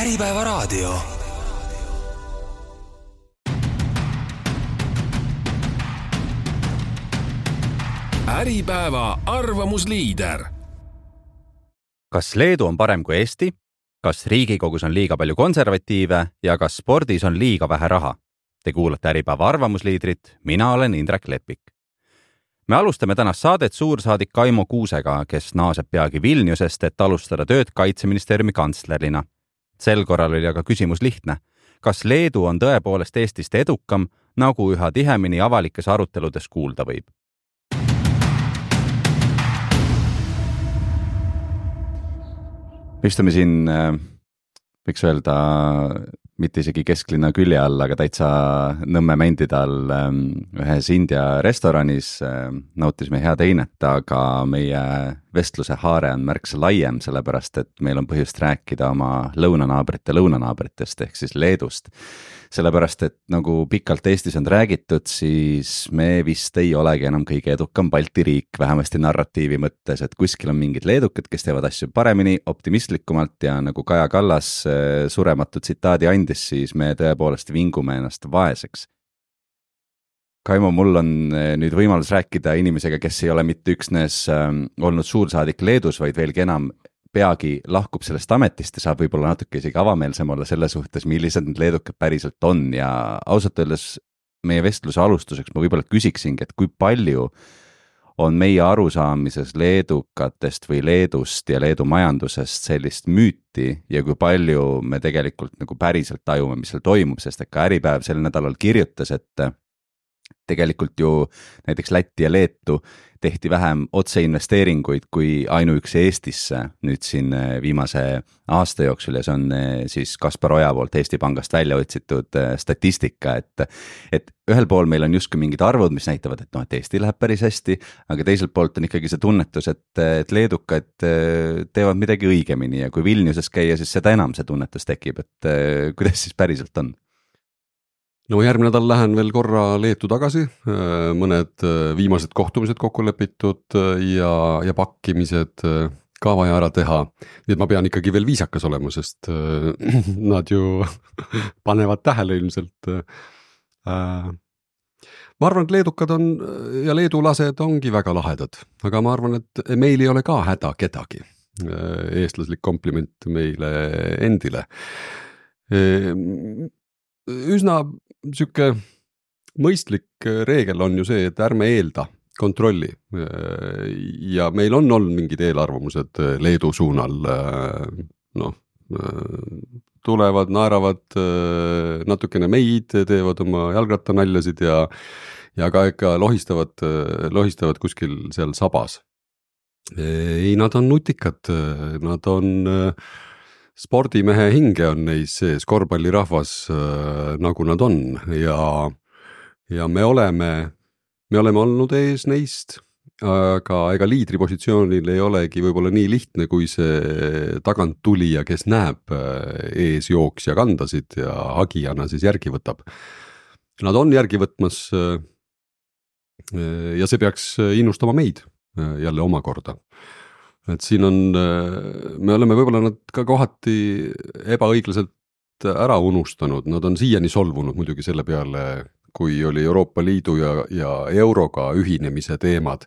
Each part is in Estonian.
Äripäeva raadio. Äripäeva arvamusliider. Kas Leedu on parem kui Eesti? Kas Riigikogus on liiga palju konservatiive ja kas spordis on liiga vähe raha? Te kuulate Äripäeva arvamusliidrit, mina olen Indrek Lepik. Me alustame tänast saadet suursaadik Kaimo Kuusega, kes naaseb peagi Vilniusest, et alustada tööd Kaitseministeeriumi kantslerina. Sel korral oli aga küsimus lihtne. Kas Leedu on tõepoolest Eestist edukam, nagu üha tihemini avalikes aruteludes kuulda võib? Istume siin, võiks öelda, mitte isegi kesklinna külje all, aga täitsa Nõmme Mändide all ühes India restoranis. Nautisime head einet, aga meie vestluse haare on märksa laiem, sellepärast et meil on põhjust rääkida oma lõunanaabritest ehk siis Leedust. Sellepärast, et nagu pikalt Eestis on räägitud, siis me vist ei olegi enam kõige edukam Balti riik, vähemasti narratiivi mõttes, et kuskil on mingid leedukad, kes teevad asju paremini, optimistlikumalt ja nagu Kaja Kallas surematu tsitaadi andis, siis me tõepoolest vingume ennast vaeseks. Kaimo, mul on nüüd võimalus rääkida inimesega, kes ei ole mitte üksnes olnud suursaadik Leedus, vaid veelgi enam peagi lahkub sellest ametist ja saab võib-olla natuke isegi avameelsem olla selle suhtes, millised need leedukad päriselt on. Ja ausalt öeldes meie vestluse alustuseks ma võib-olla küsiksingi, et kui palju on meie arusaamises leedukatest või Leedust ja Leedu majandusest sellist müüti ja kui palju me tegelikult nagu päriselt tajume, mis seal toimub, sest et ka Äripäev sel nädalal kirjutas, et tegelikult ju näiteks Lätti ja Leetu tehti vähem otseinvesteeringuid kui ainuüksi Eestisse nüüd siin viimase aasta jooksul ja see on siis Kaspar Oja poolt Eesti Pangast välja otsitud statistika, et ühel pool meil on justkui mingid arvud, mis näitavad, et Eesti läheb päris hästi, aga teiselt poolt on ikkagi see tunnetus, et leedukad teevad midagi õigemini ja kui Vilniuses käia, siis seda enam see tunnetus tekib, et kuidas siis päriselt on? No järgmine nädal lähen veel korra Leetu tagasi, mõned viimased kohtumised kokku lepitud ja pakkimised ka vaja ära teha. Nii et ma pean ikkagi veel viisakas olema, sest nad ju panevad tähele ilmselt. Ma arvan, et leedukad on ja leedulased ongi väga lahedad, aga ma arvan, et meil ei ole ka häda kedagi. Eestlaslik kompliment meile endile. Üsna süke mõistlik reegel on ju see, et ärme eelda kontrolli ja meil on olnud mingid eelarvamused Leedu suunal, tulevad, naeravad natukene meid, teevad oma jalgrattanaljasid ja ka ikka lohistavad kuskil seal sabas. Ei, nad on nutikad, nad on spordimehe hinge on neis sees, korvpallirahvas nagu nad on ja me oleme olnud ees neist, aga ega liidripositsioonil ei olegi võib-olla nii lihtne, kui see tagant tulija, kes näeb ees jooksja kandasid ja hagijana siis järgi võtab. Nad on järgi võtmas ja see peaks innustama meid jälle omakorda. Et siin on, me oleme võib-olla nad ka kohati ebaõiglaselt ära unustanud, nad on siiani solvunud muidugi selle peale, kui oli Euroopa Liidu ja euroga ühinemise teemad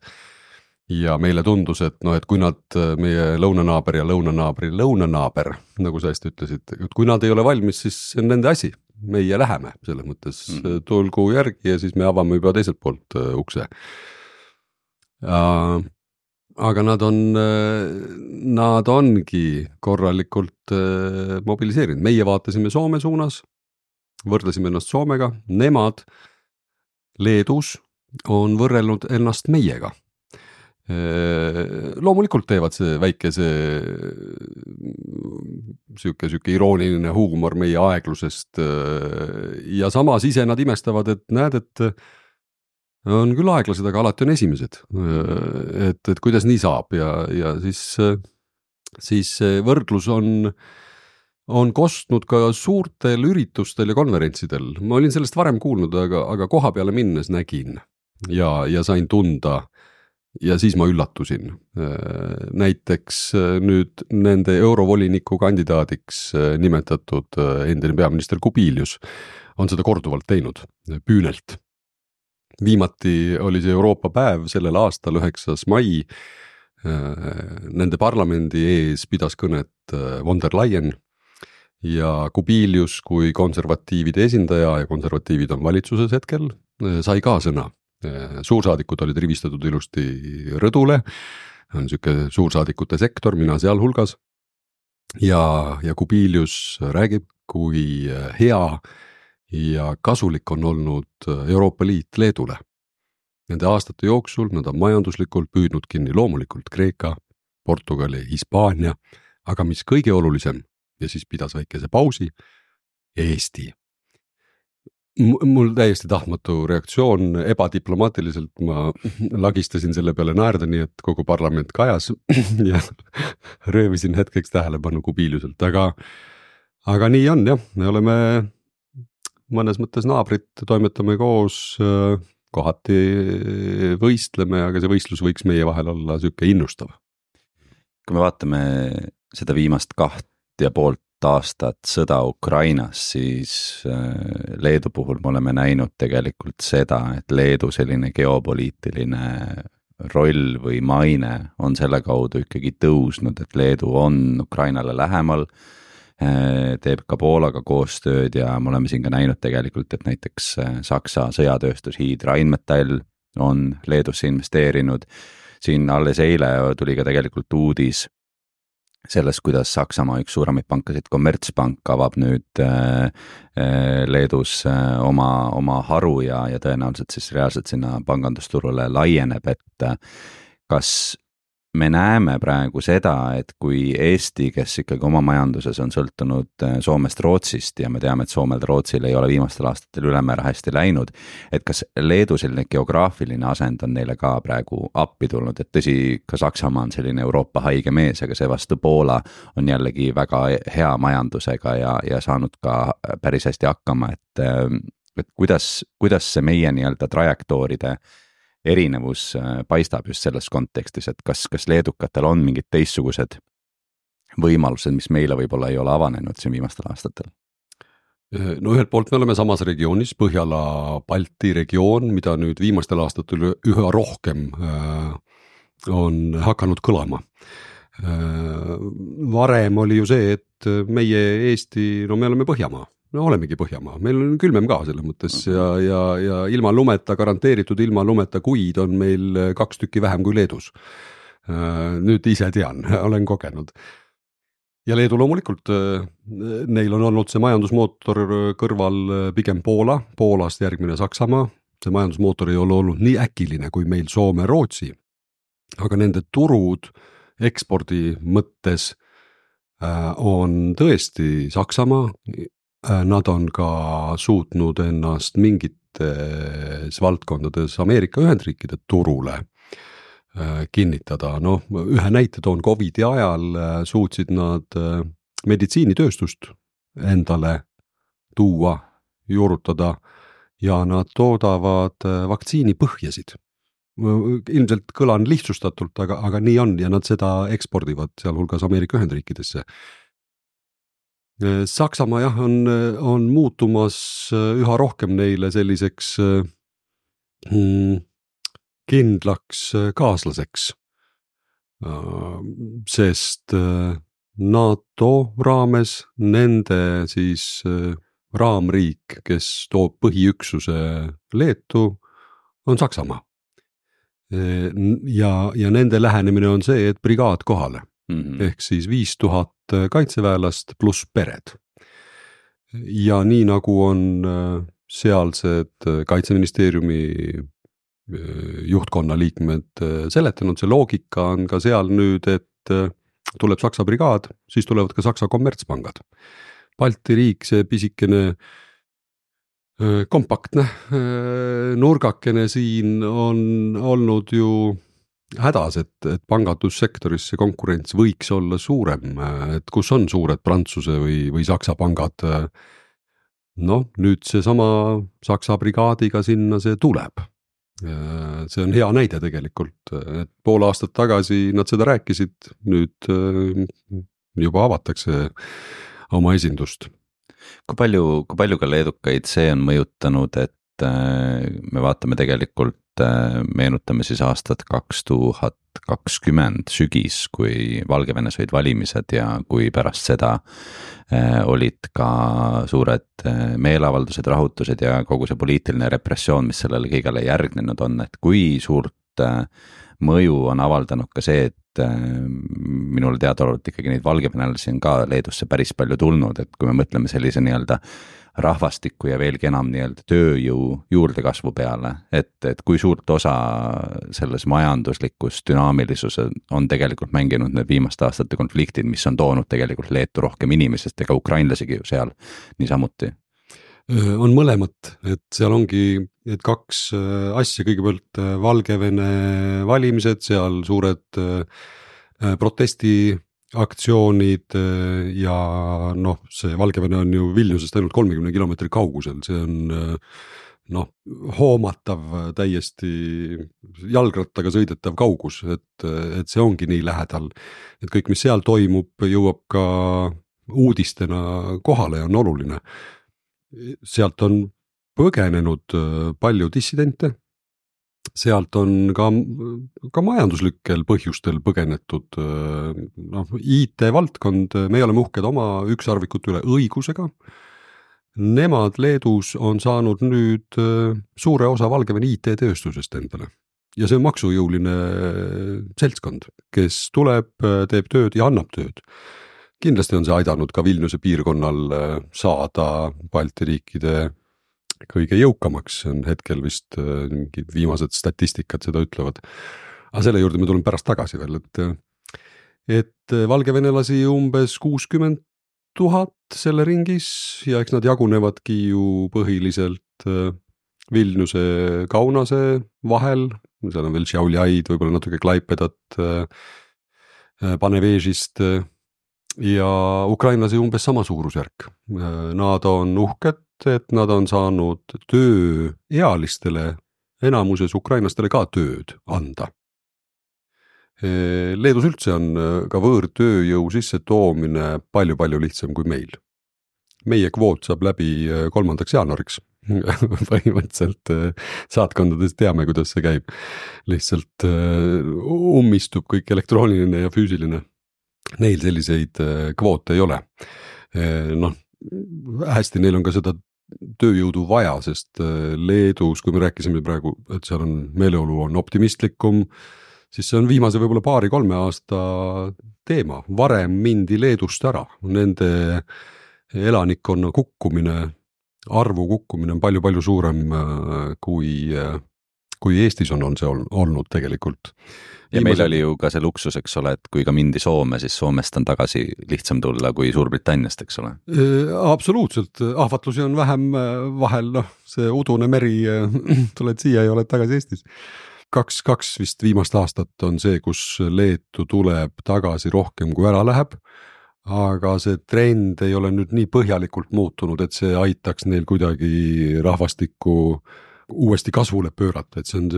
ja meile tundus, et kui nad, meie lõunanaaber ja lõunanaaber, nagu sa hästi ütlesid, et kui nad ei ole valmis, siis see on nende asi, meie läheme selles mõttes tulgu järgi ja siis me avame juba teiselt poolt ukse. Aga nad ongi korralikult mobiliseerinud. Meie vaatasime Soome suunas, võrdlesime ennast Soomega, nemad Leedus on võrrelnud ennast meiega. Loomulikult teevad see väike süke irooniline huumor meie aeglusest ja samas ise nad imestavad, et näed, et on küll aeglased, aga alati on esimesed, et kuidas nii saab ja siis võrdlus on kostnud ka suurtel üritustel ja konverentsidel. Ma olin sellest varem kuulnud, aga koha peale minnes nägin ja sain tunda ja siis ma üllatusin. Näiteks nüüd nende eurovoliniku kandidaadiks nimetatud endine peaminister Kubilius on seda korduvalt teinud, püünelt. Viimati oli see Euroopa päev sellel aastal 9. mai. Nende parlamendi ees pidas kõnet von der Leyen ja Kubilius kui konservatiivide esindaja ja konservatiivid on valitsuses hetkel, sai ka sõna. Suursaadikud olid rivistatud ilusti rõdule, on niisugune suursaadikute sektor, mina seal hulgas. Ja Kubilius räägib, kui hea ja kasulik on olnud Euroopa Liit Leedule. Nende aastate jooksul nad on majanduslikult püüdnud kinni loomulikult Kreeka, Portugali, Hispaania, aga mis kõige olulisem, ja siis pidas väikese pausi, Eesti. Mul täiesti tahtmatu reaktsioon, ebadiplomaatiliselt ma lagistasin selle peale naerda, nii et kogu parlament kajas ja röövisin hetkeks tähelepanu Kubiliuselt, aga nii on jah, me oleme mõnes mõttes naabrid, toimetame koos, kohati võistleme, aga see võistlus võiks meie vahel olla siuke innustav. Kui me vaatame seda viimast 2,5 aastat sõda Ukrainas, siis Leedu puhul me oleme näinud tegelikult seda, et Leedu selline geopoliitiline roll või maine on selle kaudu ikkagi tõusnud, et Leedu on Ukrainale lähemal, teeb ka Poolaga koostööd ja me oleme siin ka näinud tegelikult, et näiteks Saksa sõjatööstus Rheinmetall on Leedusse investeerinud. Siin alles eile tuli ka tegelikult uudis sellest, kuidas Saksamaa üks suuremaid pankasid Commerzbank avab nüüd Leedus oma haru ja tõenäoliselt siis reaalselt sinna pangandusturule laieneb, et kas me näeme praegu seda, et kui Eesti, kes ikkagi oma majanduses on sõltunud Soomest, Rootsist ja me teame, et Soomel Rootsil ei ole viimastel aastatel ülemäära hästi läinud, et kas Leedu selline geograafiline asend on neile ka praegu appi tulnud, et tõsi, ka Saksamaa on selline Euroopa haige mees, aga see vastu Poola on jällegi väga hea majandusega ja saanud ka päris hästi hakkama, et kuidas see meie nii-öelda trajektooride erinevus paistab just selles kontekstis, et kas leedukatel on mingid teistsugused võimalused, mis meile võib-olla ei ole avanenud siin viimastel aastatel? No ühelt poolt me oleme samas regioonis, Põhjala-Balti regioon, mida nüüd viimastel aastatel üha rohkem on hakanud kõlama. Varem oli ju see, et meie Eesti, no me oleme Põhjamaa. No olemegi Põhjamaa, meil on külmem ka selles mõttes ja ilma lumeta, garanteeritud ilma lumeta kuid on meil 2 tükki vähem kui Leedus. Nüüd ise tean, olen kogenud. Ja Leedu loomulikult, neil on olnud see majandusmootor kõrval pigem Poola, Poolast järgmine Saksamaa. See majandusmootor ei ole olnud nii äkiline kui meil Soome, Rootsi, aga nende turud ekspordi mõttes on tõesti Saksamaa. Nad on ka suutnud ennast mingites valdkondades Ameerika Ühendriikide turule kinnitada. No, ühe näite toon COVID-i ajal suutsid nad meditsiinitööstust endale tuua, juurutada ja nad toodavad vaktsiinipõhjasid. Ilmselt kõlan lihtsustatult, aga nii on ja nad seda ekspordivad sealhulgas Ameerika Ühendriikidesse. Saksamaa jah, on muutumas üha rohkem neile selliseks kindlaks kaaslaseks, sest NATO raames nende siis raamriik, kes toob põhiüksuse Leetu, on Saksamaa. Ja nende lähenemine on see, et brigaad kohale. Ehk siis 5000 kaitseväelast pluss pered. Ja nii nagu on sealsed kaitseministeeriumi juhtkonna liikmed seletanud, see loogika on ka seal nüüd, et tuleb Saksa brigaad, siis tulevad ka Saksa kommertspangad. Balti riik, see pisikene kompaktne nurgakene siin on olnud ju hädas, et pangandussektoris see konkurents võiks olla suurem, et kus on suured Prantsuse või Saksa pangad. No nüüd see sama Saksa brigaadiga sinna see tuleb. See on hea näide tegelikult, et pool aastat tagasi nad seda rääkisid, nüüd juba avatakse oma esindust. Kui palju ka leedukaid see on mõjutanud, et me vaatame tegelikult, meenutame siis aastat 2020 sügis, kui Valgevenes olid valimised ja kui pärast seda olid ka suured meeleavaldused, rahutused ja kogu see poliitiline repressioon, mis sellele kõigele järgnenud on, et kui suurt mõju on avaldanud ka see, et minule teadaolevalt ikkagi neid valgevenelasi on ka Leedusse päris palju tulnud, et kui me mõtleme sellise nii-öelda rahvastiku ja veelgi enam nii-öelda tööjõu juurdekasvu peale, et kui suurt osa selles majanduslikus dünaamilisus on tegelikult mänginud need viimaste aastate konfliktid, mis on toonud tegelikult Leetu rohkem inimesest ega ukrainlasigi ju seal niisamuti. On mõlemat, et seal ongi et kaks asja, kõigepealt Valgevene valimised, seal suured protestiaktsioonid ja see Valgevene on ju Vilniusest ainult 30 kilomeetri kaugusel, see on hoomatav täiesti jalgrattaga sõidetav kaugus, et see ongi nii lähedal, et kõik, mis seal toimub, jõuab ka uudistena kohale ja on oluline. Sealt on põgenenud palju dissidente, sealt on ka majanduslikel põhjustel põgenetud, IT-valdkond, me oleme uhked oma ükssarvikute üle õigusega. Nemad Leedus on saanud nüüd suure osa Valgevene IT-tööstusest endale ja see on maksujõuline seltskond, kes tuleb, teeb tööd ja annab tööd. Kindlasti on see aidanud ka Vilniuse piirkonnal saada Balti riikide kõige jõukamaks, on hetkel vist viimased statistikad seda ütlevad. Aga selle juurde me tuleme pärast tagasi veel, et valgevenelasi umbes 60 000 selle ringis ja eks nad jagunevadki ju põhiliselt Vilniuse, Kaunase vahel, seal on veel Šiauliaid, võib-olla natuke Klaipedat, Panevežist ja ukrainlasi umbes sama suurusjärk. Nad on uhked, et nad on saanud tööealistele, enamuses ukrainlastele ka tööd anda. Leedus üldse on ka võõrtööjõu sisse toomine palju lihtsam kui meil. Meie kvoot saab läbi 3. jaanuariks. Põhimõtteliselt saatkondades teame, kuidas see käib. Lihtsalt ummistub kõik elektrooniline ja füüsiline. Neil selliseid kvoote ei ole. Hästi, neil on ka seda tööjõudu vaja, sest Leedus, kui me rääkisime praegu, et seal on meeleolu on optimistlikum, siis see on viimase võib-olla 2-3 aasta teema. Varem mindi Leedust ära, nende elanikkonna kukkumine, arvu kukkumine on palju suurem kui Eestis on see olnud tegelikult. Ja meil oli ju ka see luksus, eks ole, et kui ka mindi Soome, siis Soomest on tagasi lihtsam tulla kui Suurbritanniast, eks ole? Absoluutselt, ahvatlusi on vähem vahel, see udune meri, tuled siia ja oled tagasi Eestis. 2 vist viimast aastat on see, kus Leetu tuleb tagasi rohkem kui ära läheb, aga see trend ei ole nüüd nii põhjalikult muutunud, et see aitaks neil kuidagi rahvastikku uuesti kasvule pöörata, et see on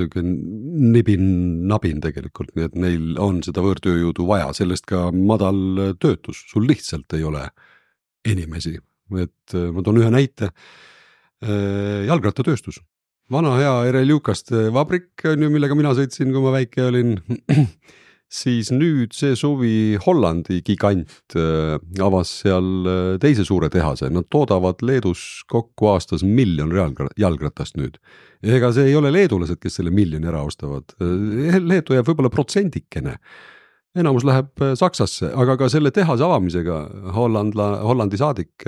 nibin-nabin tegelikult, nii et neil on seda võõrtööjõudu vaja, sellest ka madal töötus, sul lihtsalt ei ole inimesi, et ma toon ühe näite, jalgrattatööstus, vana hea Ereljukaste vabrik, millega mina sõitsin, kui ma väike olin, siis nüüd see suvi Hollandi gigant avas seal teise suure tehase. Nad toodavad Leedus kokku aastas 1 000 000 jalgratast nüüd. Ega see ei ole leedulased, kes selle 1 000 000 ära ostavad. Leedu jääb võib-olla protsendikene. Enamus läheb Saksasse, aga ka selle tehase avamisega Hollandi saadik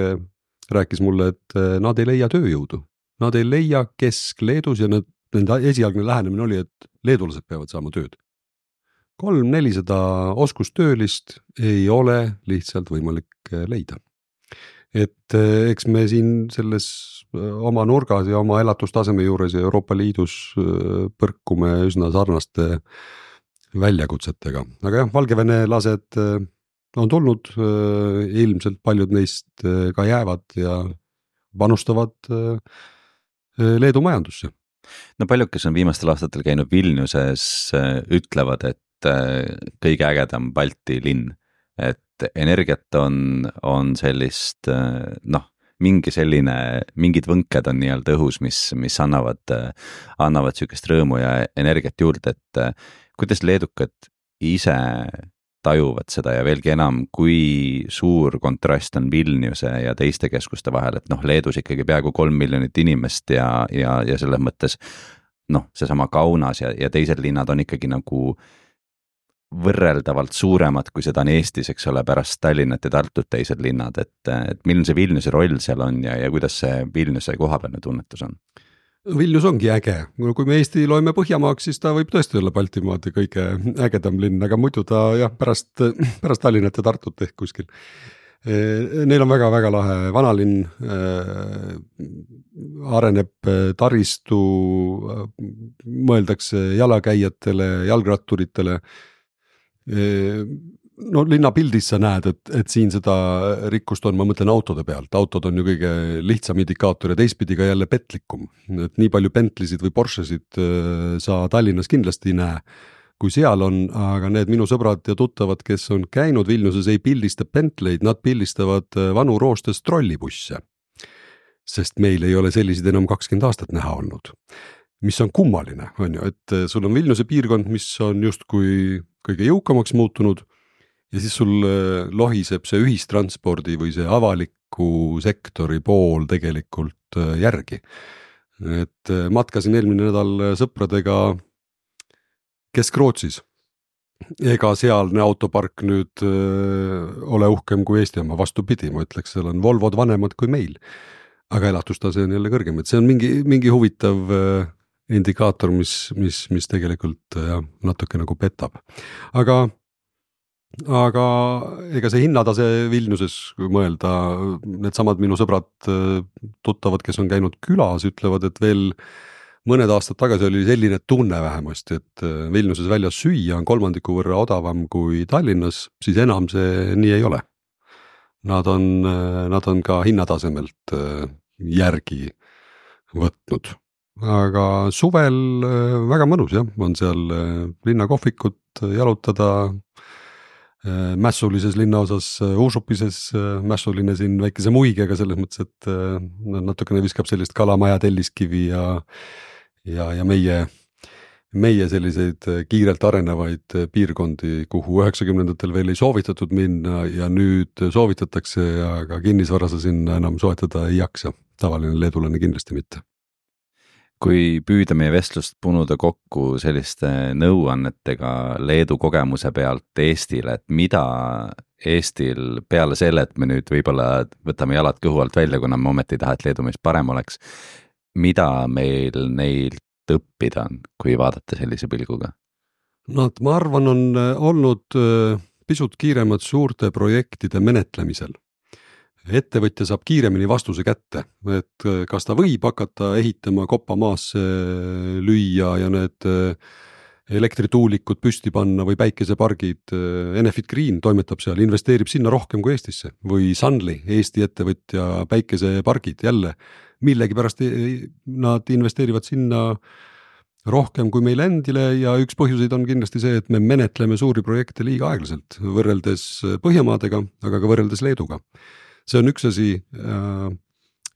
rääkis mulle, et nad ei leia tööjõudu. Nad ei leia Kesk-Leedus ja nende esialgne lähenemine oli, et leedulased peavad saama tööd. 300-400 oskustöölist ei ole lihtsalt võimalik leida. Et eks me siin selles oma nurgas ja oma elatustaseme juures ja Euroopa Liidus põrkume üsna sarnaste väljakutsetega. Aga jah, valgevenelased on tulnud, ilmselt paljud neist ka jäävad ja panustavad Leedu majandusse. no paljud, kes on viimastel aastatel käinud Vilniuses, ütlevad, et kõige ägedam Balti linn, et energiat on sellist noh, mingid võnked on nii-öelda õhus, mis annavad sükest rõõmu ja energiat juurde, et kuidas leedukad ise tajuvad seda ja veelgi enam, kui suur kontrast on Vilniuse ja teiste keskuste vahel, et noh, Leedus ikkagi peaaegu 3 miljonit inimest ja selles mõttes noh, seesama Kaunas ja teised linnad on ikkagi nagu võrreldavalt suuremad, kui seda on Eestis, eks ole, pärast Tallinnat ja Tartut teised linnad, et milline see Vilniuse roll seal on ja kuidas see Vilniuse kohapealne tunnetus on? Vilnius ongi äge, kui me Eesti loeme Põhjamaaks, siis ta võib tõesti olla Baltimaade kõige ägedam linn, aga muidu ta jah, pärast Tallinnat ja Tartut ehk kuskil. Neil on väga-väga lahe vanalinn, areneb taristu, mõeldakse jalakäijatele, jalgratturitele. No linnapildis sa näed, et siin seda rikkust on, ma mõtlen autode pealt, autod on ju kõige lihtsam indikaator ja teistpidi ka jälle petlikum, et nii palju Bentlisid või Porschesid sa Tallinnas kindlasti ei näe, kui seal on, aga need minu sõbrad ja tuttavad, kes on käinud Vilniuses, ei pildista Bentleid, nad pildistavad vanu roostes trollibusse, sest meil ei ole selliseid enam 20 aastat näha olnud, mis on kummaline, on ju, et sul on Vilniuse piirkond, mis on justkui kõige jõukamaks muutunud, ja siis sul lohiseb see ühistranspordi või see avaliku sektori pool tegelikult järgi. Et matkasin eelmine nädal sõpradega Kesk-Rootsis. Ega sealne autopark nüüd ole uhkem kui Eesti oma, vastupidi, ma ütleks, seal on Volvod vanemad kui meil. Aga elatustase on jälle kõrgem, et see on mingi huvitav indikaator, mis tegelikult natuke nagu petab. Aga ega see hinnatase Vilniuses, kui mõelda, need samad minu sõbrad tuttavad, kes on käinud külas, ütlevad, et veel mõned aastad tagasi oli selline tunne vähemasti, et Vilniuses väljas süüa on 3% võrra odavam kui Tallinnas, siis enam see nii ei ole. Nad on ka hinnatasemelt järgi võtnud. Aga suvel väga mõnus jah, on seal linnakohvikut jalutada, mässulises linnaosas Uusupises, mässuline siin väikese muigega selles mõttes, et natukene viskab sellist kalamaja telliskivi ja meie selliseid kiirelt arenevaid piirkondi, kuhu 90-ndatel veel ei soovitatud minna ja nüüd soovitatakse, aga kinnisvara sa sinna enam soetada ei jaksa. Tavaline leedulane kindlasti mitte. Kui püüda meie vestlust punuda kokku selliste nõuannetega Leedu kogemuse pealt Eestile, et mida Eestil peale selle, et me nüüd võib-olla võtame jalad kõhu alt välja, kuna me ometi ei taha, et Leedu meist parem oleks, mida meil neilt õppida on, kui vaadata sellise pilguga? No, ma arvan, on olnud pisut kiiremad suurte projektide menetlemisel. Ettevõtja saab kiiremini vastuse kätte, et kas ta võib hakata ehitama koppa maasse lüüa ja need elektrituulikud püsti panna või päikesepargid. Enefit Green toimetab seal, investeerib sinna rohkem kui Eestisse või Sunly, Eesti ettevõtja päikesepargid jälle. Millegi pärast nad investeerivad sinna rohkem kui meil endile ja üks põhjuseid on kindlasti see, et me menetleme suuri projekte liiga aeglaselt võrreldes Põhjamaadega, aga ka võrreldes Leeduga. See on üks asi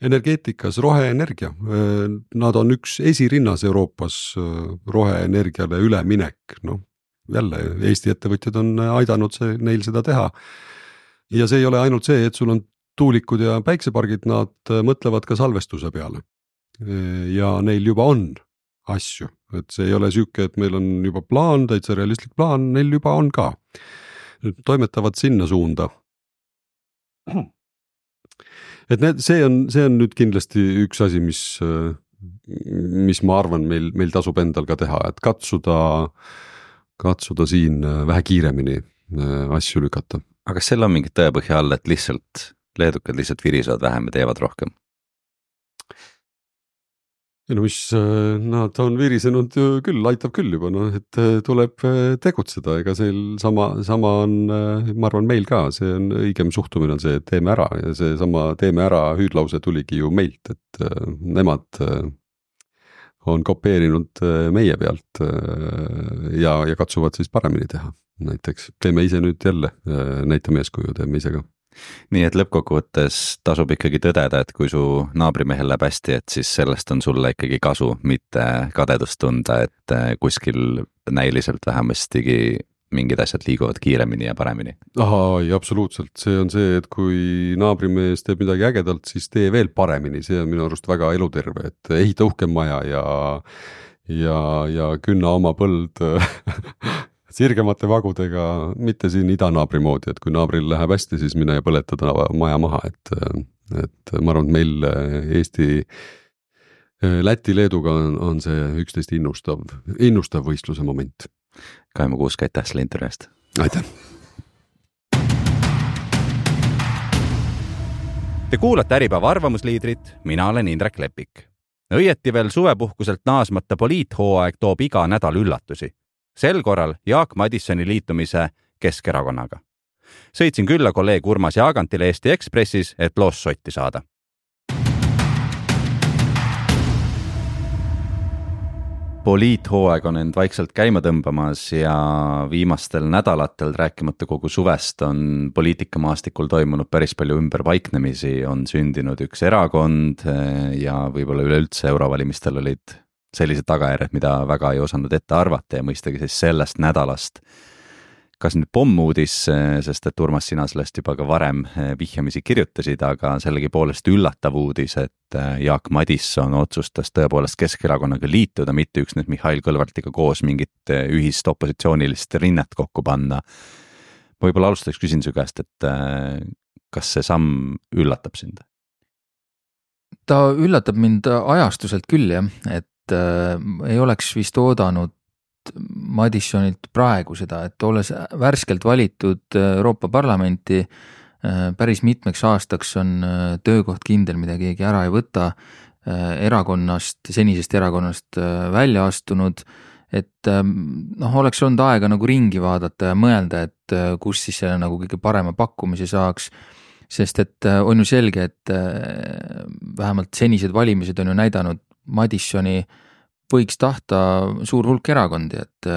energeetikas, roheenergia. Nad on üks esirinnas Euroopas roheenergiale üleminek. No, jälle, Eesti ettevõtjad on aidanud neil seda teha. Ja see ei ole ainult see, et sul on tuulikud ja päiksepargid, nad mõtlevad ka salvestuse peale. Ja neil juba on asju. Et see ei ole süüke, et meil on juba plaan, täitsa realistlik plaan, neil juba on ka. Toimetavad sinna suunda. Et see on nüüd kindlasti üks asi, mis ma arvan meil tasub endal ka teha, et katsuda siin vähe kiiremini asju lükata. Aga kas seal on mingit tõepõhja all, et leedukad lihtsalt virisevad vähem ja teevad rohkem? No nad on virisenud küll, aitab küll juba, et tuleb tegutseda, ega sama on, ma arvan meil ka, see on õigem suhtumine on see, et teeme ära ja see sama teeme ära hüüdlause tuligi ju meilt, et nemad on kopeerinud meie pealt ja katsuvad siis paremini teha. Näiteks teeme ise nüüd jälle, näitame eeskuju, teeme ise ka. Nii et lõppkokkuvõttes tasub ikkagi tõdeda, et kui su naabrimehel läheb hästi, et siis sellest on sulle ikkagi kasu, mitte kadedust tunda, et kuskil näiliselt vähemastigi mingid asjad liiguvad kiiremini ja paremini. Ei, absoluutselt. See on see, et kui naabrimees teeb midagi ägedalt, siis tee veel paremini. See on minu arust väga eluterve, et ehita uhkem maja ja künna oma põld sirgemate vagudega, mitte siin idanaabri moodi, et kui naabril läheb hästi, siis mine ja põletada maja maha, et ma arvan, et meil Eesti, Läti, Leeduga on see üksteist innustav võistluse moment. Kaimo Kuusk, aitäh selle intervjuust. Aitäh. Te kuulate Äripäeva arvamusliidrit, mina olen Indrek Lepik. Õieti veel suvepuhkuselt naasmata poliithooaeg toob iga nädal üllatusi. Sel korral Jaak Madissoni liitumise Keskerakonnaga. Sõitsin külla kolleeg Urmas Jaagantile Eesti Ekspressis, et loos sotti saada. Poliithooaeg on end vaikselt käima tõmbamas ja viimastel nädalatel rääkimata kogu suvest on poliitikamaastikul toimunud päris palju ümberpaiknemisi, on sündinud üks erakond ja võib-olla üleüldse eurovalimistel olid sellised tagajärjed, mida väga ei osanud ette arvata ja mõistagi siis sellest nädalast. Kas nüüd pommuudis, sest et Urmas, sina sellest juba ka varem vihjamisi kirjutasid, aga sellegi poolest üllatav uudis, et Jaak Madisson otsustas tõepoolest Keskerakonnaga liituda, mitte üksnes Mihhail Kõlvartiga koos mingit ühist opositsioonilist rinnet kokku panna. Võib-olla alustaks küsin su käest, et kas see samm üllatab sind? Ta üllatab mind ajastuselt küll, jah, et ei oleks vist oodanud Madissonilt praegu seda, et olles värskelt valitud Euroopa Parlamenti päris mitmeks aastaks on töökoht kindel, mida keegi ära ei võta, senisest erakonnast välja astunud, et oleks olnud aega nagu ringi vaadata ja mõelda, et kus siis selle nagu kõige parema pakkumise saaks, sest et on ju selge, et vähemalt senised valimised on ju näidanud Madissoni võiks tahta suur hulk erakondi, et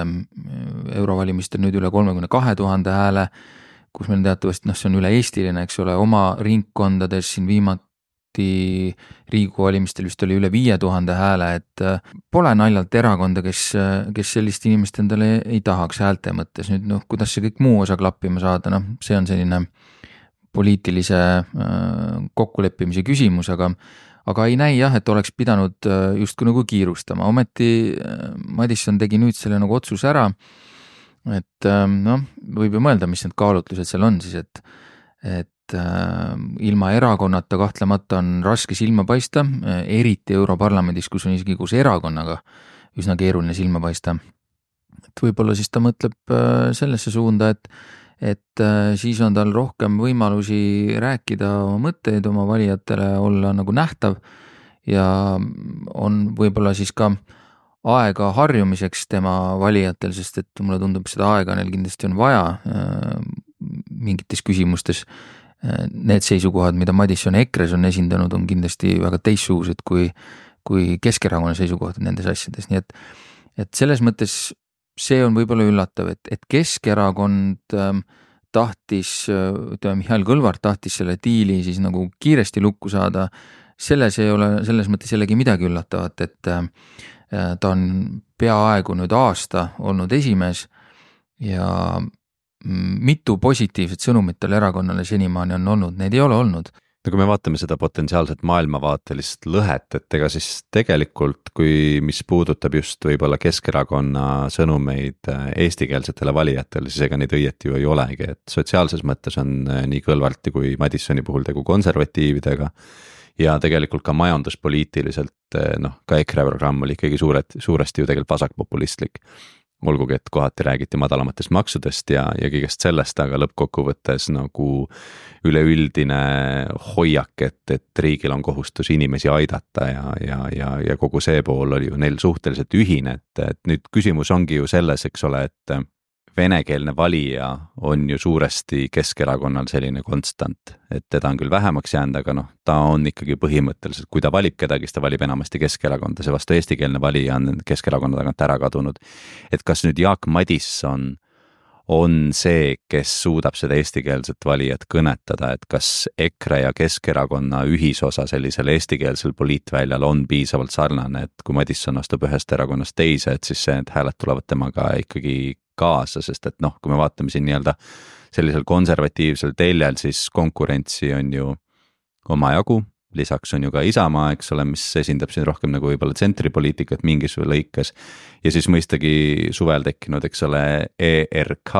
eurovalimistel nüüd üle 32 000 hääle, kus meil teatavasti, see on üle eestiline, eks ole, oma ringkondades siin viimati Riigikogu valimistel vist oli üle 5000 hääle, et pole naljalt erakonda, kes sellist inimest endale ei tahaks häälte mõttes. Nüüd, kuidas see kõik muu osa klappima saada, see on selline poliitilise kokkuleppimise küsimus, aga ei näi jah, et oleks pidanud justkui nagu kiirustama. Ometi Madisson tegi nüüd selle nagu otsus ära, et võib ju mõelda, mis need kaalutlused seal on siis, et ilma erakonnata kahtlemata on raske silma paista, eriti Europarlamendis, kus on isegi koos erakonnaga üsna keeruline silma paista. Et võib-olla siis ta mõtleb sellesse suunda, et siis on tal rohkem võimalusi rääkida oma mõtteid oma valijatele, olla nagu nähtav ja on võib-olla siis ka aega harjumiseks tema valijatel, sest et mulle tundub, seda aega neil kindlasti on vaja mingites küsimustes. Need seisukohad, mida Madisson EKRE-s on esindanud, on kindlasti väga teistsugused kui Keskerakonna seisukohad nendes asjades, nii et selles mõttes see on võib-olla üllatav, et Keskerakond tahtis, Mihhail Kõlvart tahtis selle diili siis nagu kiiresti lukku saada, selles mõttes jällegi midagi üllatavat, et ta on peaaegu nüüd aasta olnud esimees ja mitu positiivset sõnumit tal erakonnale senimaani on olnud, neid ei ole olnud. Kui me vaatame seda potentsiaalset maailmavaatelist lõhet, et ega siis tegelikult, mis puudutab just võib-olla Keskerakonna sõnumeid eestikeelsetele valijatele, siis ega neid õieti ju ei olegi, et sotsiaalses mõttes on nii Kõlvarti kui Madissoni puhul tegu konservatiividega ja tegelikult ka majanduspoliitiliselt, ka EKRE programm oli ikkagi suuresti ju tegelikult vasakpopulistlik. Olgugi, et kohati räägiti madalamatest maksudest ja kõigest sellest, aga lõppkokkuvõttes nagu üleüldine hoiak, et riigil on kohustus inimesi aidata ja kogu see pool oli ju neil suhteliselt ühine, et nüüd küsimus ongi ju selles, eks ole, et venekeelne valija on ju suuresti Keskerakonnal selline konstant, et teda on küll vähemaks jäänud, aga noh, ta on ikkagi põhimõtteliselt, kui ta valib kedagi, siis ta valib enamasti Keskerakonda, see vastu eestikeelne valija on Keskerakonna tagant ära kadunud. Et kas nüüd Jaak Madisson on see, kes suudab seda eestikeelset valijat kõnetada, et kas EKRE ja Keskerakonna ühisosa sellisel eestikeelsel poliitväljal on piisavalt sarnane, et kui Madisson astub ühest erakonnast teise, et siis need hääled tulevad temaga ikkagi kaasa, sest et noh, kui me vaatame siin nii-öelda sellisel konservatiivsel teljel, siis konkurentsi on ju omajagu, lisaks on ju ka Isamaa, eks ole, mis esindab siin rohkem nagu võib-olla tsentripoliitikat mingis lõikes ja siis mõistagi suvel tekkinud, eks ole, ERK,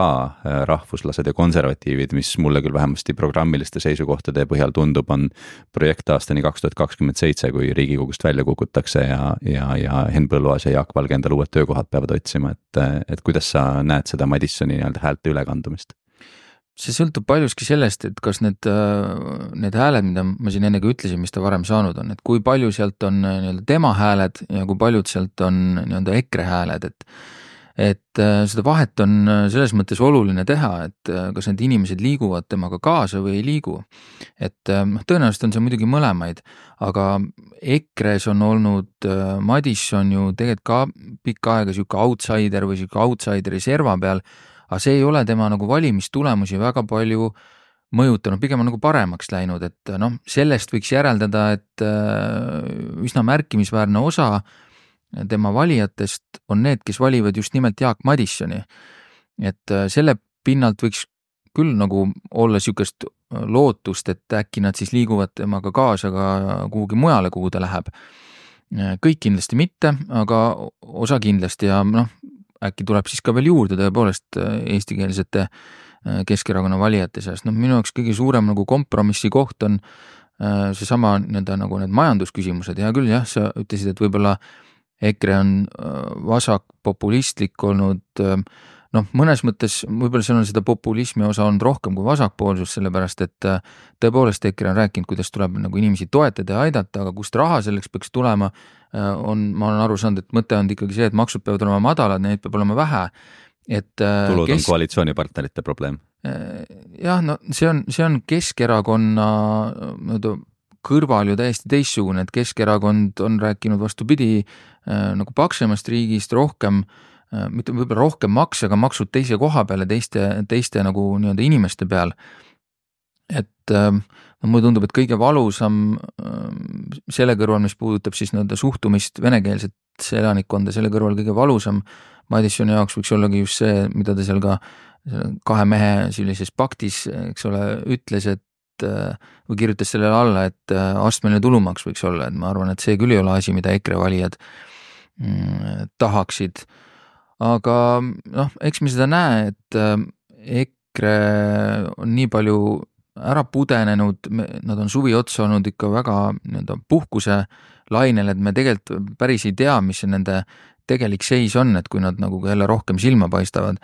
rahvuslased ja konservatiivid, mis mulle küll vähemasti programmiliste seisukohtade põhjal tundub, on projekt aastani 2027, kui Riigikogust välja kukutakse ja Henn Põlluaas ja Jaak Valge endale uued töökohad peavad otsima, et kuidas sa näed seda Madissoni nii-öelda häälte ülekandumist? See sõltub paljuski sellest, et kas need hääled, mida ma siin enne ka ütlesin, mis ta varem saanud on, et kui palju sealt on nii-öelda tema hääled ja kui paljud sealt on nii-öelda EKRE hääled, et seda vahet on selles mõttes oluline teha, et kas need inimesed liiguvad temaga kaasa või ei liigu. Et tõenäoliselt on see muidugi mõlemaid, aga EKRE-s on olnud Madisson ju tegelikult ka pikka aega siuke outsider või siuke outsideri serva peal, aga see ei ole tema nagu valimistulemusi väga palju mõjutanud, pigem on nagu paremaks läinud, et noh, sellest võiks järeldada, et üsna märkimisväärne osa tema valijatest on need, kes valivad just nimelt Jaak Madissoni. Et selle pinnalt võiks küll nagu olla siukest lootust, et äkki nad siis liiguvad temaga kaasa ka kuhugi mujale, kuhu ta läheb. Kõik kindlasti mitte, aga osa kindlasti ja noh, äkki tuleb siis ka veel juurde tõepoolest eestikeelsete Keskerakonna valijate seast. No minu jaoks kõige suurem nagu kompromissi koht on seesama nagu need majandusküsimused. Ja küll jah, sa ütlesid, et võib-olla EKRE on vasakpopulistlik olnud, noh, mõnes mõttes võib-olla seal on seda populismi osa olnud rohkem kui vasakpoolsus, sellepärast et tõepoolest EKRE on rääkinud, kuidas tuleb nagu inimesi toetada ja aidata, aga kust raha selleks peaks tulema, ma olen aru saanud, et mõte on ikkagi see, et maksud peavad olema madalad, neid peab olema vähe. Tulud on koalitsioonipartnerite probleem. Jah, no see on Keskerakonna kõrval ju täiesti teistsugune, et Keskerakond on rääkinud vastupidi nagu paksemast riigist rohkem, mitte võib-olla rohkem makse, aga maksud teise koha peale, teiste nagu nii-öelda inimeste peal. Et mulle tundub, et kõige valusam selle kõrval, mis puudutab siis nii-öelda suhtumist venekeelset elanikkonda, selle kõrval kõige valusam Madissoni jaoks võiks ollagi just see, mida ta seal ka kahe mehe sellises paktis, eks ole, ütles, et või kirjutas sellele alla, et astmeline tulumaks võiks olla, et ma arvan, et see küll ei ole asi, mida EKRE valijad tahaksid. Aga noh, eks me seda näe, et EKRE on nii palju ära pudenenud, nad on suvi otsa olnud ikka väga puhkuse lainel, et me tegelikult päris ei tea, mis see nende tegelik seis on, et kui nad nagu jälle rohkem silma paistavad,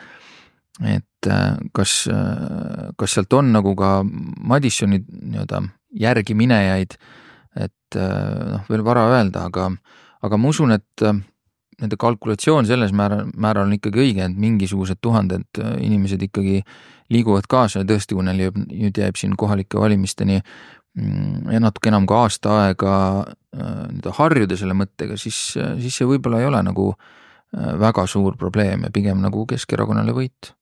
et kas sealt on nagu ka Madissoni nii-öelda järgi minejaid, et noh, veel vara öelda, aga ma usun, et nende kalkulatsioon selles määral on ikkagi õige, et mingisugused tuhanded inimesed ikkagi liiguvad kaasa ja tõesti, kui neil nüüd jääb siin kohalike valimisteni natuke enam kui aasta aega harjuda selle mõttega, siis see võib-olla ei ole nagu väga suur probleem ja pigem nagu Keskerakonnale võit.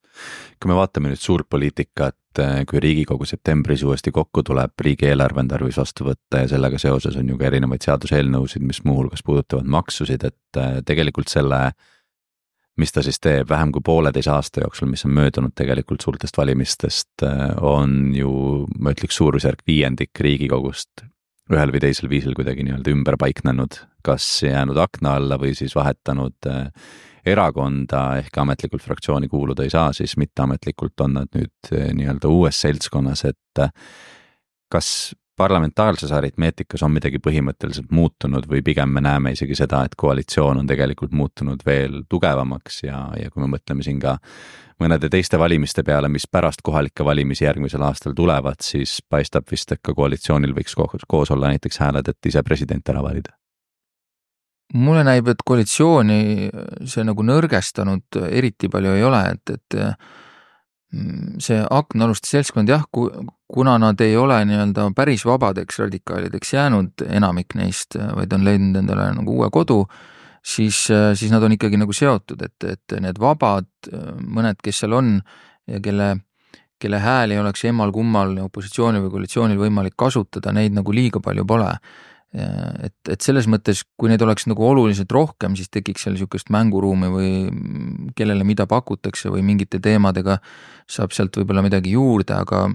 Kui me vaatame nüüd suurt poliitikat, kui Riigikogu septembris uuesti kokku tuleb, riigieelarve on tarvis vastu võtta ja sellega seoses on ju ka erinevaid seaduseelnõusid, mis muuhulgas puudutavad maksusid, et tegelikult selle, mis ta siis teeb vähem kui 1,5 aasta jooksul, mis on möödunud tegelikult suurtest valimistest, on ju, ma ütleks, suurusjärk 5% Riigikogust ühel või teisel viisil kuidagi nii-öelda ümber paiknenud, kas jäänud akna alla või siis vahetanud erakonda ehk ametlikult fraktsiooni kuuluda ei saa, siis mitteametlikult on nad nüüd nii-öelda uues seltskonnas, et kas parlamentaarses aritmeetikas on midagi põhimõtteliselt muutunud või pigem me näeme isegi seda, et koalitsioon on tegelikult muutunud veel tugevamaks ja kui me mõtleme siin ka mõnede teiste valimiste peale, mis pärast kohalikke valimisi järgmisel aastal tulevad, siis paistab vist, et ka koalitsioonil võiks koos olla näiteks hääled, et ise president ära valida. mulle näib, et koalitsiooni see nagu nõrgestanud eriti palju ei ole, et see aknaaluste seltskond jah, kuna nad ei ole nii-öelda päris vabadeks radikaalideks jäänud enamik neist, vaid on leidnud endale nagu uue kodu, siis nad on ikkagi nagu seotud, et need vabad, mõned, kes seal on ja kelle hääl ei oleks emmal-kummal opositsioonil või koalitsioonil võimalik kasutada, neid nagu liiga palju pole. Et selles mõttes, kui neid oleks nagu oluliselt rohkem, siis tekiks seal niisugust mänguruumi või kellele mida pakutakse või mingite teemadega saab sealt võib-olla midagi juurde, aga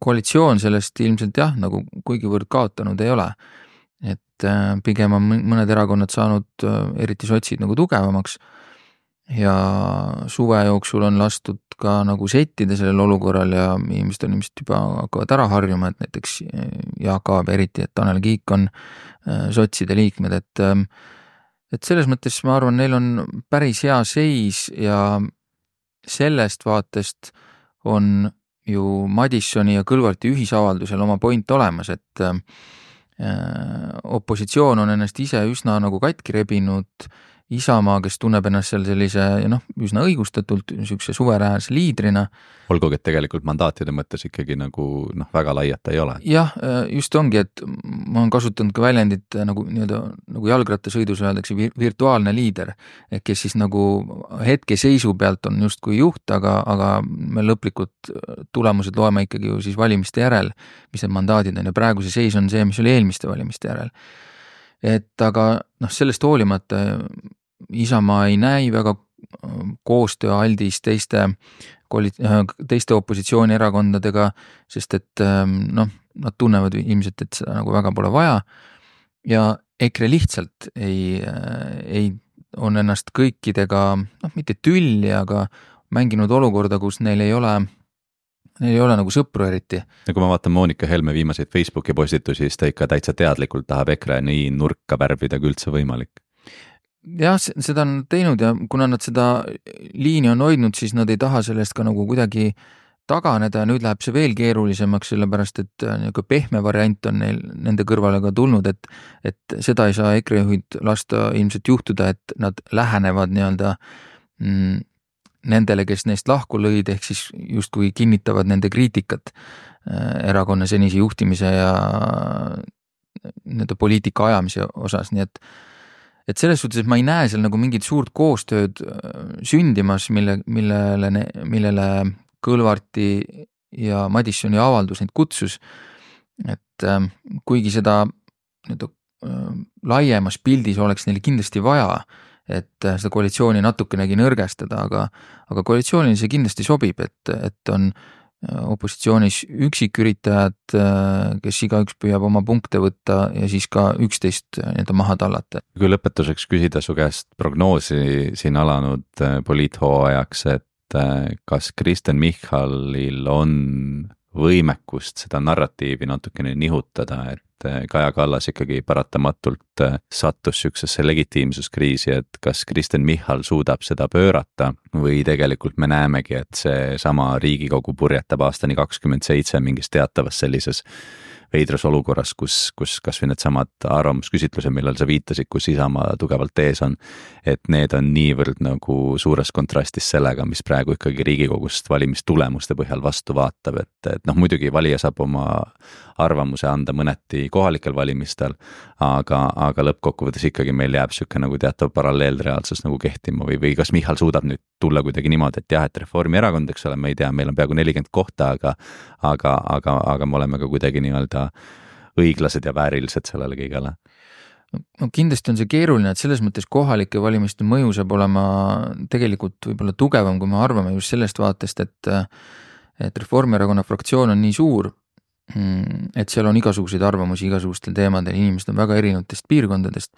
koalitsioon sellest ilmselt jah, nagu kuigivõrd kaotanud ei ole. Et pigem on mõned erakonnad saanud, eriti sotsid, nagu tugevamaks ja suve jooksul on lastud ka nagu settida sellel olukorral ja inimesed on ilmselt juba hakkavad ära harjuma, et näiteks Jaak Aab eriti, et Tanel Kiik on sotside liikmed, et selles mõttes ma arvan, neil on päris hea seis ja sellest vaatest on ju Madissoni ja Kõlvarti ühisavaldusel oma point olemas, et opositsioon on ennast ise üsna nagu katki rebinud, Isamaa, kes tunneb ennast seal sellise üsna õigustatult niisuguse suveräänse liidrina. Olgugi, et tegelikult mandaatide mõttes ikkagi nagu väga laiata ei ole. Jah, just ongi, et ma olen kasutanud ka väljendit nagu jalgrattasõidus öeldakse virtuaalne liider, kes siis nagu hetke seisu pealt on justkui juht, aga me lõplikud tulemused loeme ikkagi ju siis valimiste järel, mis need mandaadid on ja praegu see seis on see, mis oli eelmiste valimiste järel. Et aga sellest hoolimata Isamaa ei näi väga koostööaldis teiste opositsioonierakondadega, sest et nad tunnevad ilmselt, et seda nagu väga pole vaja ja EKRE lihtsalt ei on ennast kõikidega, mitte tülli, aga mänginud olukorda, kus neil ei ole nagu sõpru eriti. Ja kui ma vaatan Moonika Helme viimaseid Facebooki postitusi, siis ta ikka täitsa teadlikult tahab EKRE nii nurka värvida kui üldse võimalik. Jah, seda on teinud ja kuna nad seda liini on hoidnud, siis nad ei taha sellest ka nagu kuidagi taganeda ja nüüd läheb see veel keerulisemaks, sellepärast et pehme variant on neil nende kõrvale ka tulnud, et seda ei saa EKRE juhid lasta ilmselt juhtuda, et nad lähenevad nii-öelda nendele, kes neist lahku lõid, ehk siis justkui kinnitavad nende kriitikat erakonna senise juhtimise ja nende poliitika ajamise osas, nii et selles suhtes, et ma ei näe seal nagu mingit suurt koostööd sündimas, millele Kõlvarti ja Madissoni avaldus neid kutsus, et kuigi seda laiemas pildis oleks neil kindlasti vaja, et seda koalitsiooni natukenegi nõrgestada, aga koalitsioonil see kindlasti sobib, et on opositsioonis üksiküritajad, kes igaüks püüab oma punkte võtta ja siis ka üksteist maha tallata. Kui lõpetuseks küsida su käest prognoosi siin alanud poliithooajaks, et kas Kristen Michalil on võimekust seda narratiivi natukene nihutada, et Kaja Kallas ikkagi paratamatult sattus süksesse legitiimsuskriisi, et kas Kristen Michal suudab seda pöörata või tegelikult me näemegi, et see sama Riigikogu purjetab aastani 27 mingis teatavas sellises veidras olukorras, kus kas või need samad arvamusküsitlused, millal sa viitasid, kus Isamaa tugevalt ees on, et need on niivõrd nagu suures kontrastis sellega, mis praegu ikkagi Riigikogust valimistulemuste põhjal vastu vaatab, et muidugi valija saab oma arvamuse anda mõneti kohalikel valimistel, aga lõppkokkuvõttes ikkagi meil jääb siuke nagu teatav paralleelreaalsus nagu kehtima või kas Michal suudab nüüd tulla kuidagi niimoodi, et jah, et Reformierakond, eks ole, ma ei tea, meil on peaaegu 40 kohta, aga me oleme ka kuidagi nii-öelda õiglased ja väärilised sellele kõigele. No kindlasti on see keeruline, et selles mõttes kohalike valimiste mõju saab olema tegelikult võib-olla tugevam, kui me arvame just sellest vaatest, et Reformierakonna fraktsioon on nii suur, et seal on igasuguseid arvamusi igasugustel teemadel, inimesed on väga erinevatest piirkondadest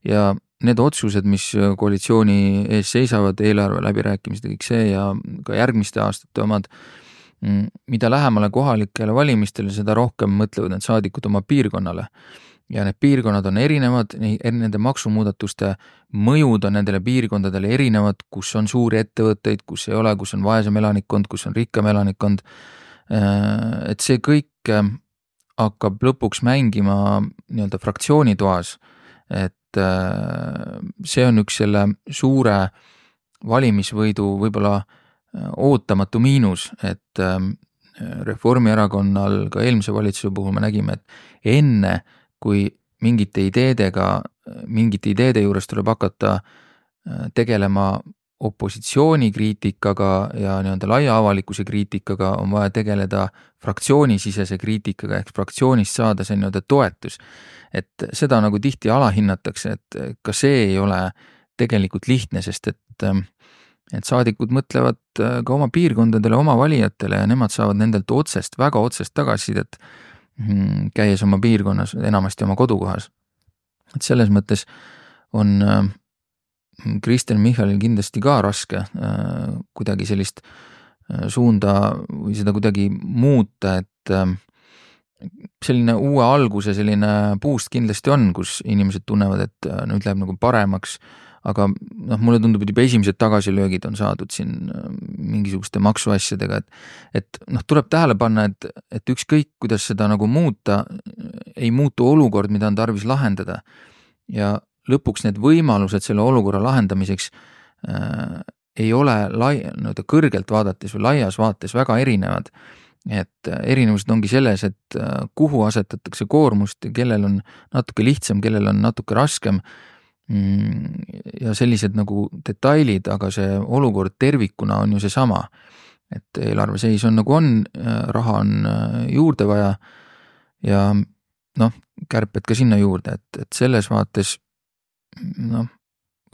ja need otsused, mis koalitsiooni ees seisavad, eelarve läbirääkimised ja kõik see ja ka järgmiste aastate omad, mida lähemale kohalikele valimistele, seda rohkem mõtlevad need saadikud oma piirkonnale. Ja need piirkonnad on erinevad, nende maksumuudatuste mõjud on nendele piirkondadele erinevad, kus on suuri ettevõtteid, kus ei ole, kus on vaesem elanikkond, kus on rikkam elanikkond. Et see kõik hakkab lõpuks mängima nii-öelda fraktsioonitoas, et see on üks selle suure valimisvõidu võib-olla ootamatu miinus, et Reformierakonnal ka eelmise valitsuse puhul me nägime, et enne kui mingite ideede juures tuleb hakata tegelema opositsiooni kriitikaga ja nii-öelda laia avalikkuse kriitikaga, on vaja tegeleda fraktsioonisisese kriitikaga ehk fraktsioonist saada see nii-öelda toetus. Et seda nagu tihti alahinnatakse, et ka see ei ole tegelikult lihtne, sest et saadikud mõtlevad ka oma piirkondadele, oma valijatele ja nemad saavad nendelt väga otsest tagasisidet, käies oma piirkonnas, enamasti oma kodukohas. Et selles mõttes on Kristen Michalil kindlasti ka raske kuidagi sellist suunda või seda kuidagi muuta, et selline uue alguse selline puust kindlasti on, kus inimesed tunnevad, et nüüd läheb nagu paremaks, aga mulle tundub, et juba esimesed tagasilöögid on saadud siin mingisuguste maksuasjadega, et tuleb tähele panna, et ükskõik, kuidas seda nagu muuta, ei muutu olukord, mida on tarvis lahendada ja lõpuks need võimalused selle olukorra lahendamiseks ei ole kõrgelt vaadates või laias vaates väga erinevad. Et erinevused ongi selles, et kuhu asetatakse koormust, kellel on natuke lihtsam, kellel on natuke raskem ja sellised nagu detailid, aga see olukord tervikuna on ju see sama. Et eelarve seis on nagu on, raha on juurde vaja ja kärped ka sinna juurde, et selles vaates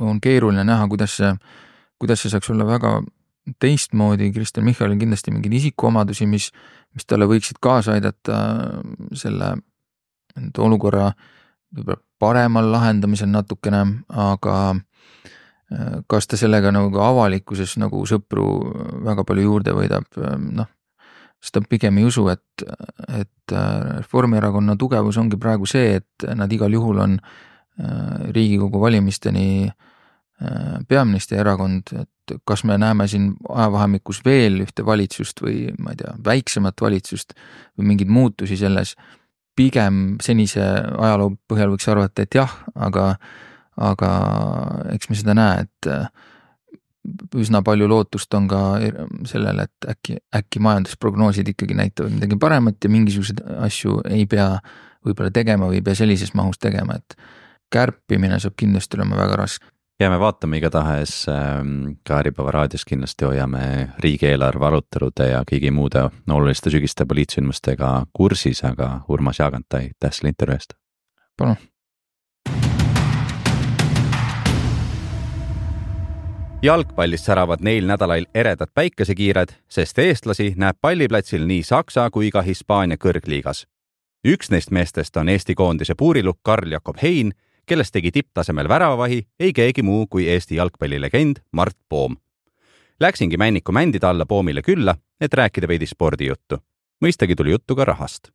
on keeruline näha, kuidas see saaks olla väga teistmoodi. Kristen Michalil kindlasti mingeid isikuomadusi, mis talle võiksid kaasa aidata selle olukorra paremal lahendamisel natukene, aga kas ta sellega nagu avalikkuses nagu sõpru väga palju juurde võidab, seda pigem ei usu, et Reformierakonna tugevus ongi praegu see, et nad igal juhul on Riigikogu valimisteni peaministri erakond, et kas me näeme siin ajavahemikus veel ühte valitsust või ma ei tea, väiksemat valitsust või mingeid muutusi selles, pigem senise ajaloo põhjal võiks arvata, et jah, aga eks me seda näe, et üsna palju lootust on ka sellele, et äkki majandusprognoosid ikkagi näitavad midagi paremat ja mingisuguseid asju ei pea võib-olla tegema või ei pea sellises mahus tegema, et kärpimine saab kindlasti olema väga raske. Jääme vaatame igatahes ka Äripäeva raadios kindlasti hoiame riigieelarve arutelude ja kõigi muude oluliste sügiste poliitsündmustega kursis, aga Urmas Jaagantai, aitäh selle intervjuu eest. Palun. Jalgpallist säravad neil nädalail eredad päikesekiired, sest eestlasi näeb palliplatsil nii Saksa kui ka Hispaania kõrgliigas. Üks neist meestest on Eesti koondise puurilukk Karl-Jakob Hein, kellest tegi tipptasemel väravavahi ei keegi muu kui Eesti jalgpallilegend Mart Poom. Läksingi Männiku mändida alla Poomile külla, et rääkida veidi spordijuttu. Mõistagi tuli juttu ka rahast.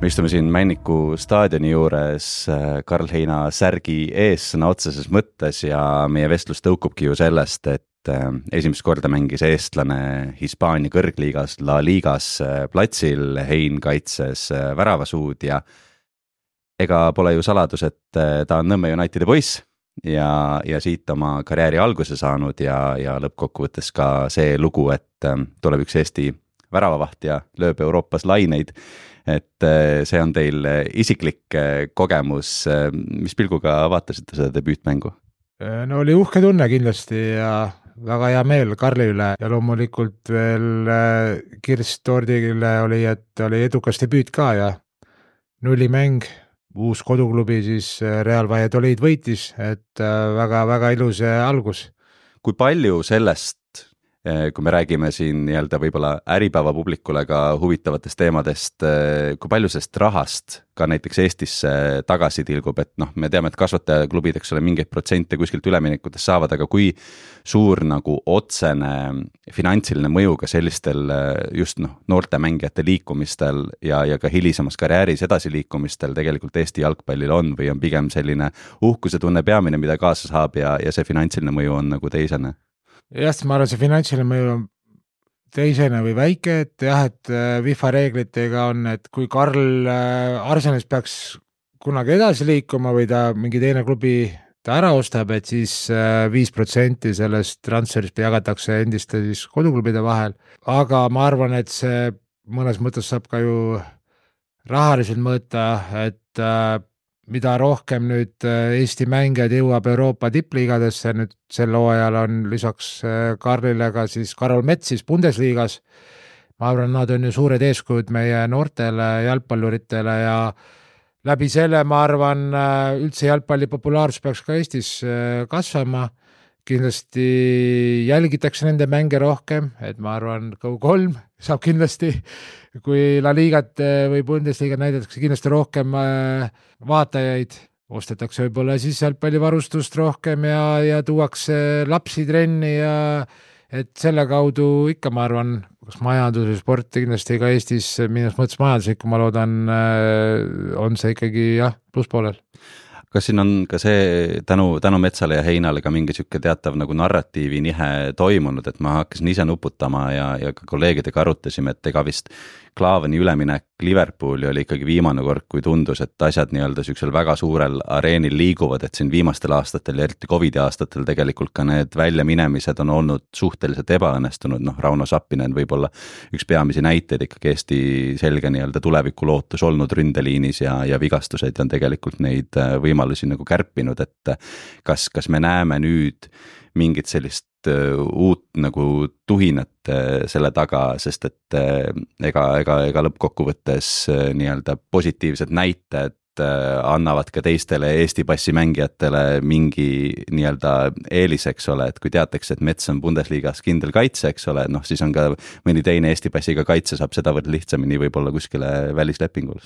Me istume siin Männiku staadioni juures Karl Heina särgi ees sõna otseses mõttes ja meie vestlus tõukubki ju sellest, et esimest korda mängis eestlane Hispaania kõrgliigas La Ligas platsil, Hein kaitses väravasuud ja ega pole ju saladus, et ta on Nõmme Unitedi poiss ja siit oma karjääri alguse saanud ja lõppkokkuvõttes ka see lugu, et tuleb üks Eesti väravavaht ja lööb Euroopas laineid, et see on teil isiklik kogemus. Mis pilguga vaatasite seda debüütmängu? No oli uhke tunne kindlasti ja väga hea meel Karli üle ja loomulikult veel Kirst Tordile oli, et oli edukas debüüt ka ja nullimäng, uus koduklubi siis Real Valladolid võitis, et väga ilus algus. Kui palju sellest, kui me räägime siin nii-öelda võib-olla Äripäeva publikule ka huvitavatest teemadest, kui palju sellest rahast ka näiteks Eestisse tagasi tilgub, et me teame, et kasvatajaklubid, eks ole, mingeid protsente kuskilt üleminekutes saavad, aga kui suur nagu otsene finantsiline mõju ka sellistel just noorte mängijate liikumistel ja ka hilisemas karjääris edasiliikumistel tegelikult Eesti jalgpallil on või on pigem selline uhkuse tunne peamine, mida kaasa saab ja see finantsiline mõju on nagu teisene? Jah, ma arvan, see finantsiline mõju on teisene või väike, et jah, et FIFA reeglitega on, et kui Karl Arsenis peaks kunagi edasi liikuma või ta mingi teine klubi ta ära ostab, et siis 5% sellest transferist jagatakse endiste siis koduklubide vahel, aga ma arvan, et see mõnes mõttes saab ka ju rahaliselt mõõta, et mida rohkem nüüd Eesti mängijad jõuab Euroopa tippliigadesse, nüüd sel hooajal on lisaks Karlile ka siis Karol Mets siis Bundesliigas. Ma arvan, nad on ju suured eeskujud meie noortele jalgpalluritele ja läbi selle ma arvan, üldse jalgpalli populaarsus peaks ka Eestis kasvama. Kindlasti jälgitakse nende mänge rohkem, et ma arvan, Go3 saab kindlasti, kui La Liigat või Bundesliigat näidatakse kindlasti rohkem vaatajaid, ostetakse võib-olla siis jalgpallivarustust rohkem ja tuuakse lapsi trenni ja et selle kaudu ikka ma arvan, kas majandus ja sport kindlasti ka Eestis minu mõttes majanduslikku, ma loodan, on see ikkagi jah, plusspoolel. Kas siin on ka see tänu Metsale ja Heinale ka mingi siuke teatav nagu narratiivi nihe toimunud, et ma hakkasin ise nuputama ja ka kolleegidega arutasime, et ega vist Klaavani üleminek Liverpooli oli ikkagi viimane kord, kui tundus, et asjad nii-öelda siuksel väga suurel areenil liiguvad, et siin viimastel aastatel ja eriti Covidi aastatel tegelikult ka need väljaminemised on olnud suhteliselt ebaõnnestunud, Rauno Sappinen võib-olla üks peamisi näiteid ikkagi Eesti selge nii-öelda tulevikulootus olnud ründeliinis ja vigastused on tegelikult neid võimalusi nagu kärpinud, et kas me näeme nüüd mingit sellist uut nagu tuhinat selle taga, sest et ega lõppkokkuvõttes nii-öelda positiivsed näited annavad ka teistele Eesti passi mängijatele mingi nii-öelda eeliseks ole, et kui teatakse, et Mets on Bundesliigas kindel kaitse, eks ole, siis on ka mõni teine Eesti passiga kaitse saab sedavõrd lihtsamini võib-olla kuskile välislepingul.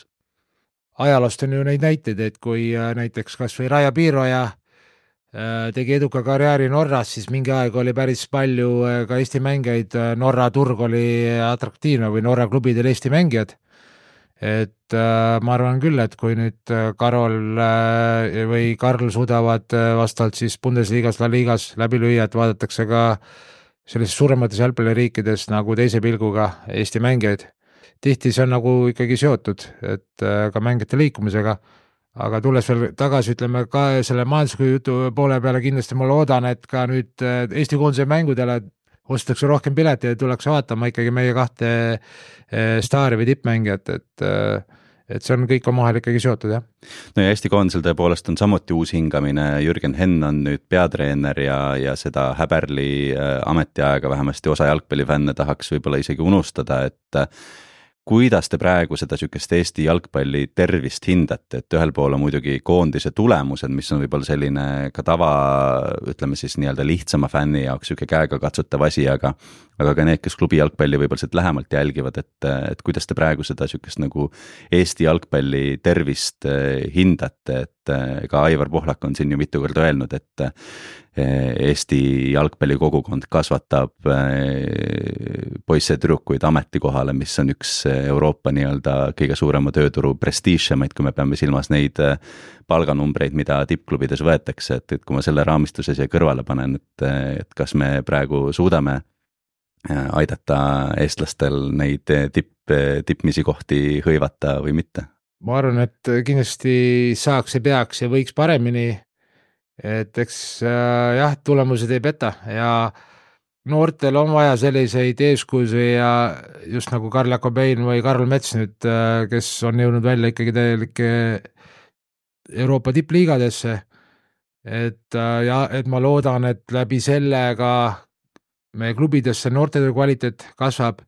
Ajaloost on ju neid näiteid, et kui näiteks kas või Raja Piiroja tegi eduka karjääri Norras, siis mingi aeg oli päris palju ka Eesti mängijaid, Norra turg oli atraktiivne või Norra klubidel Eesti mängijad. Et ma arvan küll, et kui nüüd Karol või Karl suudavad vastavalt siis Bundesliigas, La Liigas läbi lüüa, et vaadatakse ka sellises suuremates jalgpalliriikides nagu teise pilguga Eesti mängijaid. Tihti see on nagu ikkagi seotud, et ka mängijate liikumisega. Aga tulles veel tagasi, ütleme ka selle majandusliku jutu poole peale kindlasti ma loodan, et ka nüüd Eesti koondise mängudele ostetakse rohkem pileti ja tullakse vaatama ikkagi meie 2 staari või tippmängijat, et see on kõik omahel ikkagi seotud, jah. No ja Eesti koondisel tõepoolest on samuti uus hingamine, Jürgen Henn on nüüd peatreener ja seda Häberli ametiaega vähemasti osa jalgpallifänne tahaks võib-olla isegi unustada, et kuidas te praegu seda sükest Eesti jalgpalli tervist hindate, et ühel pool on muidugi koondise tulemused, mis on võib-olla selline ka tava, ütleme siis nii-öelda lihtsama fänni jaoks süke käega katsutav asi, aga ka need, kes klubi jalgpalli võib-olla sealt lähemalt jälgivad, et kuidas te praegu seda sükest nagu Eesti jalgpalli tervist hindate, et ka Aivar Pohlak on siin ju mitu korda öelnud, et Eesti jalgpallikogukond kasvatab poisse tüdrukuid ametikohale, mis on üks Euroopa nii-öelda kõige suurema tööturu prestiižemaid, kui me peame silmas neid palganumbreid, mida tippklubides võetakse, et kui ma selle raamistuses ja kõrvale panen, et kas me praegu suudame aidata eestlastel neid tippmisi kohti hõivata või mitte? Ma arvan, et kindlasti saaks ja peaks ja võiks paremini, et eks jah, tulemused ei peta ja noortel on vaja selliseid eeskujusi ja just nagu Karl Jakobein või Karl Mets nüüd, kes on jõudnud välja ikkagi täielike Euroopa tippliigadesse, et ma loodan, et läbi sellega meie klubidesse noortetöö kvaliteet kasvab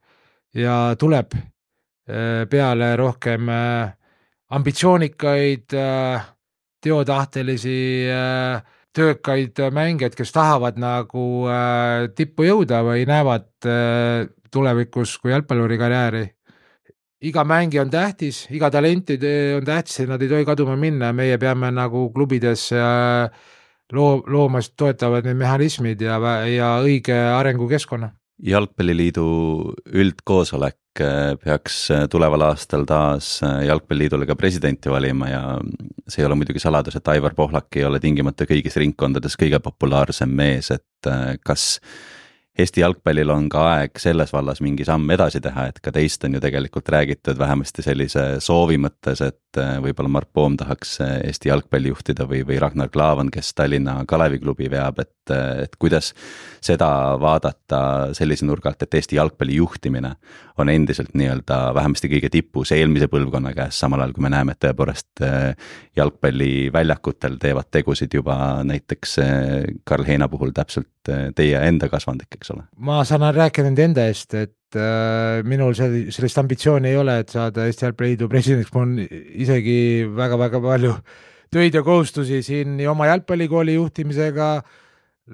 ja tuleb peale rohkem ambitsioonikaid, teotahtelisi, töökaid mängijaid, kes tahavad nagu tippu jõuda või näevad tulevikus kui jalgpalluri karjääri. Iga mängi on tähtis, iga talenti on tähtis, et nad ei tohi kaduma minna, meie peame nagu klubides loomast toetavad need mehhanismid ja õige arengukeskkonna. Jalgpalliliidu üldkoosolek peaks tuleval aastal taas Jalgpalliliidule ka presidenti valima ja see ei ole muidugi saladus, et Aivar Pohlak ei ole tingimata kõigis ringkondades kõige populaarsem mees, et kas Eesti jalgpallil on ka aeg selles vallas mingi samm edasi teha, et ka teist on ju tegelikult räägitud vähemasti sellise soovi mõttes, et võib-olla Mart Poom tahaks Eesti jalgpalli juhtida või Ragnar Klavan, kes Tallinna Kaleviklubi veab, et kuidas seda vaadata sellise nurga alt, et Eesti jalgpalli juhtimine on endiselt nii-öelda vähemasti kõige tipus eelmise põlvkonna käes, samal ajal kui me näeme, et tõepoolest jalgpalliväljakutel teevad tegusid juba näiteks Karl Heina puhul täpselt teie enda kasvandik, eks ole? Ma saan rääkida enda eest, et minul sellist ambitsiooni ei ole, et saada Eesti Jalgpalliliidu presidendiks, mul on isegi väga-väga palju töid ja kohustusi siin nii oma jalgpallikooli juhtimisega,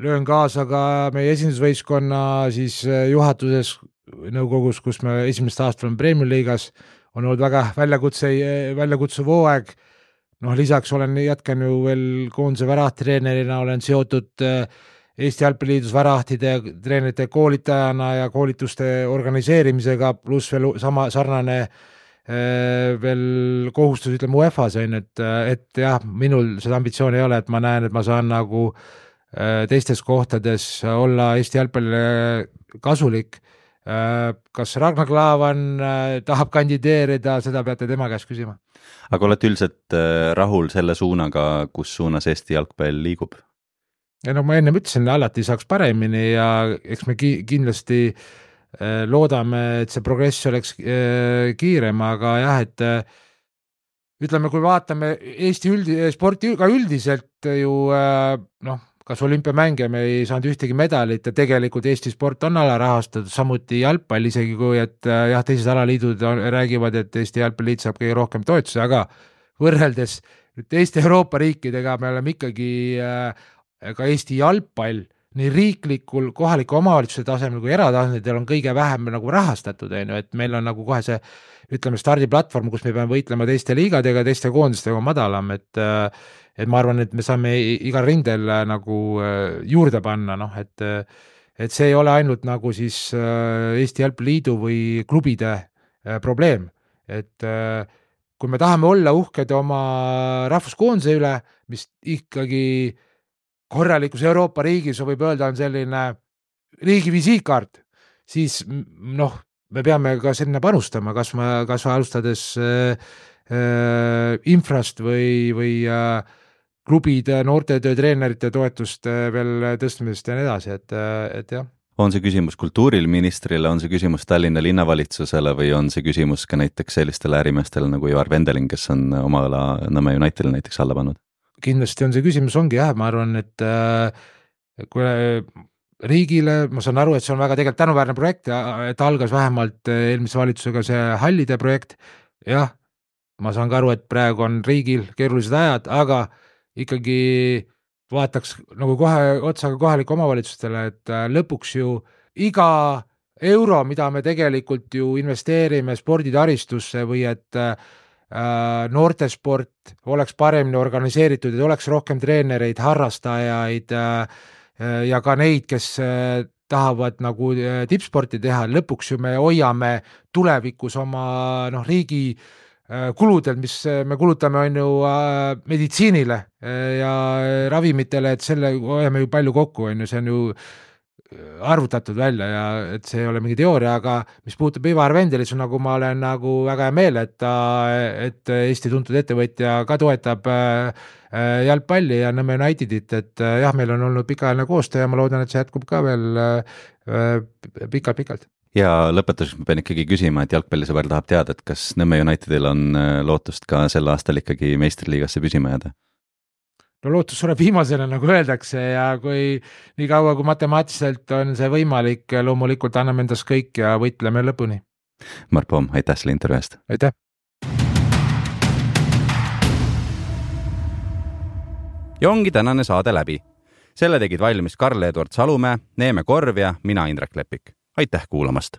löön kaasa ka meie esindusvõistkonna siis juhatuses nõukogus, kus me esimest aastat oleme Premier Liigas, on olnud väga väljakutsuv hooaeg. Lisaks jätkan ju veel koondise värahtreenerina, olen seotud Eesti Jalgpalliliidus värahtide treenerite koolitajana ja koolituste organiseerimisega, pluss veel sarnane veel kohustus, ütleme UEFA-s on, et jah, minul seda ambitsiooni ei ole, et ma näen, et ma saan nagu teistes kohtades olla Eesti jalgpallile kasulik. Kas Ragnar Klavan tahab kandideerida, seda peate tema käest küsima. Aga olete üldiselt rahul selle suunaga, kus suunas Eesti jalgpall liigub? Ja ma enne ütlesin, alati saaks paremini ja eks me kindlasti loodame, et see progress oleks kiirem, aga jah, et ütleme, kui vaatame Eesti sporti ka üldiselt ju kas olümpiamänge me ei saanud ühtegi medalit ja tegelikult Eesti sport on alarahastatud, samuti jalgpall, isegi kui jah, teised alaliidud räägivad, et Eesti jalgpalliliit saab kõige rohkem toetusi, aga võrreldes teiste Euroopa riikidega me oleme ikkagi ka Eesti jalgpall nii riiklikul, kohaliku omavalitsuse tasemel kui eratasandil on kõige vähem nagu rahastatud, et meil on nagu kohe see, ütleme, stardiplatvorm, kus me peame võitlema teiste liigadega, teiste koondistega madalam, et ma arvan, et me saame igal rindel nagu juurde panna, et see ei ole ainult nagu siis Eesti Jalgpalliliidu või klubide probleem, et kui me tahame olla uhked oma rahvuskoondise üle, mis ikkagi korralikus Euroopa riigis võib öelda on selline riigi visiitkaart, siis me peame ka selline panustama, kas alustades infrast või klubide, noortetöö treenerite toetust veel tõstmisest ja nii edasi, et jah. On see küsimus kultuuriministrile, on see küsimus Tallinna linnavalitsusele või on see küsimus ka näiteks sellistele ärimeestele nagu Ivar Vendeling, kes on oma ala Nõmme Unitedile näiteks alla pannud? Kindlasti on see küsimus, ongi jah, ma arvan, et kui riigile, ma saan aru, et see on väga tegelikult tänuväärne projekt, et algas vähemalt eelmise valitsusega see hallide projekt, jah, ma saan ka aru, et praegu on riigil keerulised ajad, aga ikkagi vaataks nagu kohe otsaga kohalike omavalitsustele, et lõpuks ju iga euro, mida me tegelikult ju investeerime sporditaristusse või et noortesport oleks paremini organiseeritud, et oleks rohkem treenereid, harrastajaid ja ka neid, kes tahavad nagu tippsporti teha, lõpuks ju me hoiame tulevikus oma riigi kuludel, mis me kulutame on ju meditsiinile ja ravimitele, et selle hoiame ju palju kokku, on ju, see on ju arvutatud välja ja et see ei ole mingi teooria, aga mis puutub Ivar Vendelis, nagu ma olen nagu väga hea meel, et Eesti tuntud ettevõtja ka toetab jalgpalli ja Nõmme Unitedit, et jah, meil on olnud pikaajaline koostöö ja ma loodan, et see jätkub ka veel pikalt. Ja lõpetuseks ma pean ikkagi küsima, et jalgpallisõber tahab teada, et kas Nõmme Unitedil on lootust ka sel aastal ikkagi meistriliigasse püsima jääda? No lootus sureb viimasena, nagu öeldakse, ja kui nii kaua kui matemaatiliselt on see võimalik, loomulikult anname endast kõik ja võitleme lõpuni. Mart Poom, aitäh selle intervjuu eest! Aitäh! Ja ongi tänane saade läbi. Selle tegid valmis Karl-Eduard Salumäe, Neeme Korv ja mina Indrek Lepik. Aitäh kuulamast!